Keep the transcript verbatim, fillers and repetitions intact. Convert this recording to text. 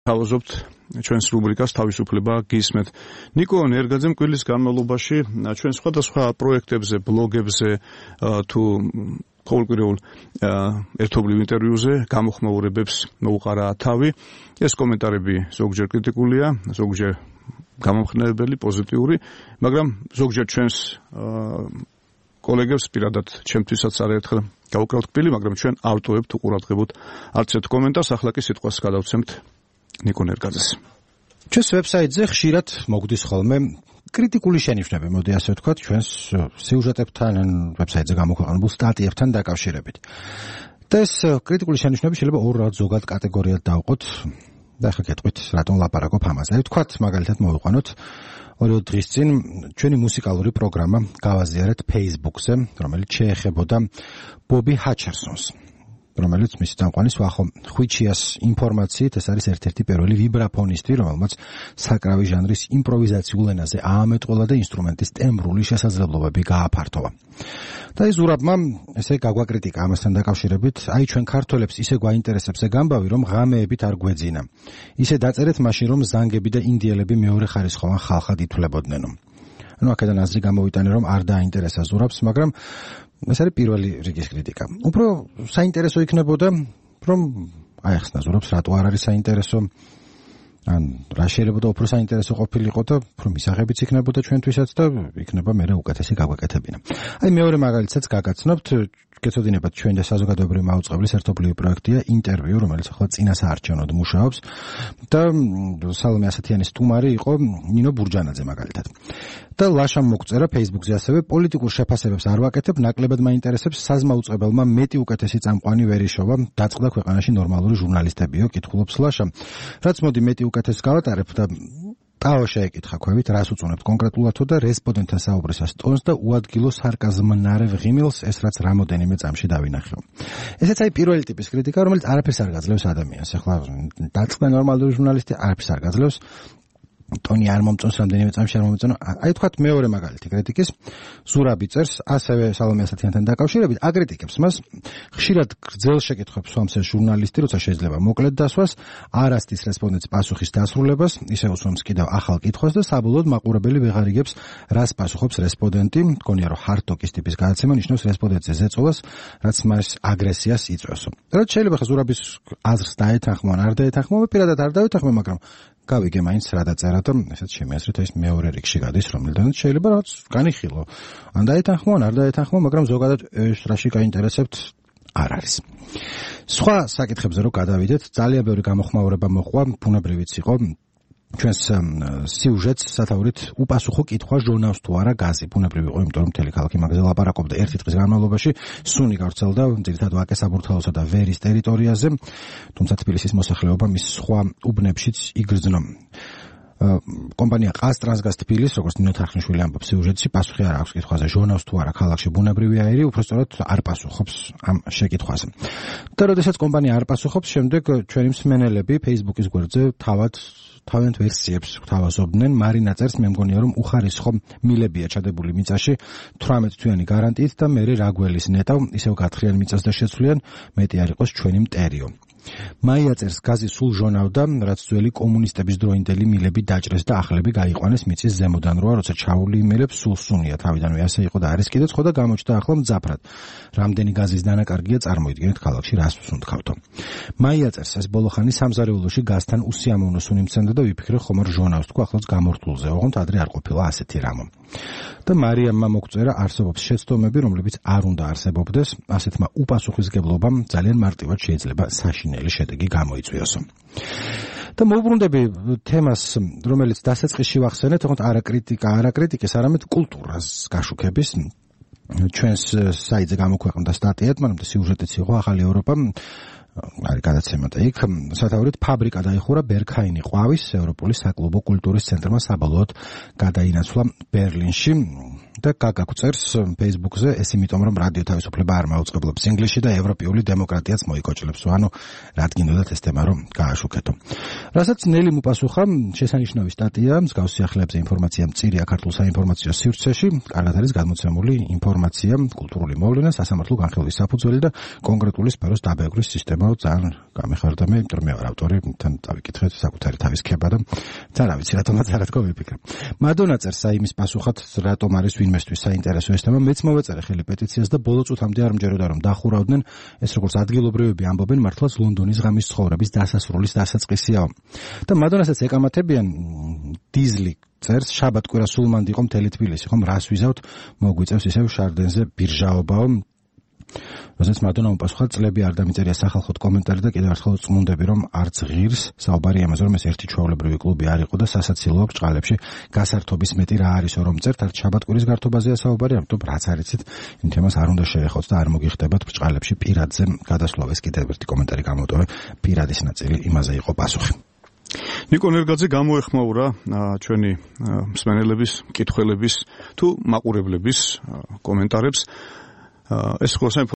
თავაზობთ ჩვენს რუბრიკას თავისუფლება გისმენთ. ნიკო ნერგაძემ კვირის განმავლობაში ჩვენ სხვადასხვა პროექტებზე, ბლოგებზე თუ ყოველკვირეულ ერთობლივ ინტერვიუზე გამოხმაურებებს მოუყარა თავი. ეს კომენტარები ზოგჯერ კრიტიკულია, ზოგჯერ გამომხნევებელი, პოზიტიური, მაგრამ ზოგჯერ ჩვენს კოლეგებს პირადად ჩემთვისაც არაერთხელ გავუკრავთ კბილი, მაგრამ ჩვენ ავტოვებთ უყურადღებოთ არც ერთ კომენტარს. ახლა კი სიტყვას გადავცემთ ნიკო ნერგაძეს. ჩვენს ვებსაიტზე ხშირად მოგდის ხოლმე კრიტიკული შენიშვნები, მოდი ასე ვთქვათ, ჩვენს სიუჟეტებთან, ვებსაიტზე გამოქვეყნებულ სტატიებთან დაკავშირებით. და ეს კრიტიკული შენიშვნები შეიძლება ორ ზოგად კატეგორიად დავყოთ. და ახლა გეტყვით, რატომ ლაპარაკობ ამაზე. ვთქვათ, მაგალითად მოვიყვანოთ ორი დღის წინ ჩვენი მუსიკალური პროგრამა გავაზიარეთ Facebook-ზე, რომელიც შეეხებოდა ბობი ჰაჩერსონს, რომელიც მისი წამყვანის ვახო ხვიჩიას ინფორმაციით ეს არის ერთ-ერთი პირველი ვიბრაფონისტი, რომელმაც საკრავი ჟანრის იმპროვიზაციულ ენაზე აამეტყველა და ინსტრუმენტის ტემბრული შესაძლებლობები გააფართოვა. და ეს ზურაბმა ესე გაგვაკრიტიკა ამასთან დაკავშირებით, აი ჩვენ ქართველებს ისე გვაინტერესებს ეგ ამბავი, რომ ღამეებით არ გვეძინა. ისე დაწერეთ მაშინ, რომ ზანგები და ინდიელები მეორე ხარისხოვან ხალხად ითვლებოდნენ. ანუ აქედან აზრი გამოვიტანე, რომ არ დააინტერესა ზურაბს, მაგრამ ეს არის პირველი რიგის კრიტიკა. უფრო საინტერესო იქნებოდა, რომ აეხსნა ზურაბს, რატო არ არის საინტერესო, ან რა შეიძლება და უფრო საინტერესო ყოფილიყო და უფრო მისაღებიც იქნებოდა ჩვენთვისაც და იქნება მერე უკეთესი გაგვეკეთებინა. აი მეორე მაგალითსაც გაგაცნობთ, გეცოდინებათ ჩვენ და საზოგადოებრივი მაუწყებლის ერთობლივი პროექტია ინტერვიუ, რომელიც ახლა წინასაარჩევნოდ მუშაობს და სალომე ასათიანის სტუმარი იყო ნინო ბურჯანაძე მაგალითად. და ლაშამ მოგწერა Facebook-ზე ასევე პოლიტიკურ შეფასებებს არ ვაკეთებ, ნაკლებად მაინტერესებს საზმაუწყებელმა მეტი უკეთესი წამყვანი ვერიშოვა, დაწყდა ქვეყანაში ნორმალური ჟურნალისტებიო, კითხულობს ლაშამ. რაც მოდი მეტი უკეთეს გავატარებ და ტაო შეეკითხა ქვევით, რას უწუნებთ კონკრეტულათო და რესპონდენტთან საუბრისას ტონს და უადგილო სარკაზმნარევ ღიმილს, ეს რაც რამოდენიმე წამში დავინახეო. ესეც აი პირველი ტიპის კრიტიკა, რომელიც არაფერს არ გაძლევს ადამიანს. ახლა დაწყდა ნორმალური ჟურნალისტი, არაფერს არ გაძლევს. ტონი არ მომწონს, რამდენიმე წამში არ მომწონს. აი თქვათ მეორე მაგალითი კრიტიკის, ზურაბი წერს ასევე სალომე ასათიანთან დაკავშირებით, აკრიტიკებს მას, ხშირად გრძელ შეკითხვებს სვამს ეს ჟურნალისტი, როცა შეიძლება მოკლედ დასვას, არ ასდის რესპონდენტს პასუხის დასრულებას, ისე უსვამს კიდევ ახალ კითხვას და საბოლოოდ მაყურებელი ვეღარ იგებს, რას პასუხობს რესპონდენტი. მგონია, რომ ჰარტოკის ტიპის გადაცემა ნიშნავს რესპონდენტზე ზეწოლას, რაც მას აგრესიას იწვევსო. რაც შეიძლება ხა ზურაბის აზრს დაეთანხმო, არ დაეთანხმო, პირადად არ დაეთანხმო, მაგრამ გავიგე მაინც რა დაწერა და ესეც შემეასრეთ ეს მეორე რიგში გადის, რომელთანაც შეიძლება რაღაც განიხილო. ან დაეთანხმო, ან არ დაეთანხმო, მაგრამ ზოგადად ეს რაში გაინტერესებთ არ არის. სხვა საკითხებზე რო გადავიდეთ, ძალიან ბევრი გამოხმაურება მოყვა, ბუნებრივიც იყო. ჩვენს სიუჟეტს სათაურით უპასუხო კითხვა ჟონავს თუ არა გაზი. ბუნებრივი იყო, იმიტომ რომ მთელი ქალაქი მაგაზე ლაპარაკობდა ერთი დღის განმავლობაში, სუნი გავრცელდა ძირითადად ვაკე საბურთალოსა და ვერის ტერიტორიაზე, თუმცა თბილისის მოსახლეობა მის სხვა უბნებშიც იგრძნო. კომპანია ყაზტრანსგაზ თბილის, როგორც ნინო თარხნიშვილი ამბობს სიუჟეტში, პასუხი არ აქვს კითხვაზე ჟონავს თუ არა ქალაქში ბუნებრივი აირი, უბრალოდ არ პასუხობს ამ შეკითხვაზე. და როდესაც კომპანია არ პასუხობს, შემდეგ ჩვენი მსმენელები Facebook-ის გვერდზე თავად თავიანთ ვერსიებს გვთავაზობდნენ. მარინა წერს, მე მგონია რომ უხარისხო მილებია ჩადებული მიწაში თვრამეტ თვიანი გარანტიით და მე რაგველის ნეტავ ისევ გათხრიან მიწას და შეცვლიან, მეტი არ იყოს ჩვენი მტერიო. მაია წერს, გაზი სულ ჟონავდა, რაც ძველი კომუნისტების დროინდელი მილები დაჭრეს და ახლები გაიყვანეს მიწის ზემოდან, როა როცა ჩაული იმილებს სულ სუნია, თავიდანვე ასე იყო და არის კიდეც, ხო და გამოჩნდა ახლა მძაფრად. რამდენი გაზის დანაკარგია, წარმოიდგინეთ ქალაქში რას ვსუნთქავთო. მაია წერს, ეს ბოლოხანი სამზარეულოში გაზთან უსიამოვნო სუნი მცემდა და ვიფიქრე ხომ არ ჟონავს თქვა ახლაც გამორთულზე, ოღონდ ადრე არ ყოფილა ასეთი რამო. და მარიამმა მოგწერა, არსებობს შეცდომები, რომლებიც არ უნდა არსებობდეს, ასეთმა უპასუხისმგებლობამ ძალიან მარტივად შეიძლება საშინელი შედეგი გამოიწვიოსო. და მოვუბრუნდები თემას, რომელიც დასაწყისში ვახსენეთ, თქო არა კრიტიკა, არა კრიტიკის, არამედ კულტურას გაშუქების. ჩვენს საიტზე გამოქვეყნდა სტატია, მაგრამ სიუჟეტიც იყო ახალი ევროპა, არის გადაცემა და იქ სათაურით ფაბრიკა დაიხურა ბერქაინი ყვავის ევროპული საკლუბო კულტურის ცენტრმა საბოლოოდ გადაინაცვლა ბერლინში. და გაგაკ წერს Facebook-ზე, ეს იმიტომ რომ რადიო თავისუფლება არ მაუწყებლობს ინგლისში და ევროპული დემოკრატიაც მოიკოჭლებს. ანუ რა გინდოდათ ეს თემა რომ გააშუქეთო. რასაც ნელი მოპასუხა, შესანიშნავი სტატია, მსგავს სიახლეებზე ინფორმაცია მწირია ქართულ საინფორმაციო სივრცეში, კარგად არის გადმოცემული ინფორმაცია, კულტურული მოვლენა, სასამართლო განხილვის საფუძველი და კონკრეტული სფეროს დაბეგვრის სისტემაა. ძალიან გამეხარდა მე, იმიტომ რომ მე ვარ ავტორი, თან დავიკითხეთ საკუთარი თავის ქება და თან რა ვიცი, რატომაც არ თქვა ვიფიქრე. მადონა წერს საიმის პასუხად, რატომ არის ვინმესთვის საინტერესო ეს თემა, მეც მოვეწერე ხელი პეტიციას და ბოლო წუთამდე არ მჯეროდა რომ დახურავდნენ, ეს როგორც ადგილობრივები ამბობენ, მართლაც ლონდონის ღამის ცხოვრების დასასრულის დასაწყისიაო. და მადონასაც ეკამათებიან დიზლი წერს, შაბათ კვირა სულ მანდ იყო მთელი თბილისი, ხომ რას ვიზავთ, მოგვიწევს ისევ შარდენზე ბირჟაობაო. როდესაც მადონა უპასუხა, წლები არ დამიწერია სახალხოდ კომენტარი და კიდევ ერთხელ წმუნდები რომ არც ღირს, საუბარი ამაზე რომ ეს ერთი ჩვეულებრივი კლუბი არ იყო და სასაცილოა ბჭყალებში გასართობის მეტი რა არისო რომ წერთ, არც შაბათკვირის გართობაზეა საუბარი, ამიტომ რაც არიცით, იმ თემას არ უნდა შეეხოთ და არ მოგიხდებათ ბჭყალებში პირადზე გადასვლა. ეს კიდევ ერთი კომენტარი გამოვტოვე, პირადის ნაწილი, იმაზე იყო პასუხი. ნიკო ნერგაძე გამოეხმაურა ჩვენი მსმენელების, მკითხველების თუ მაყურებლების კომენტარებს. ეს ხოლმე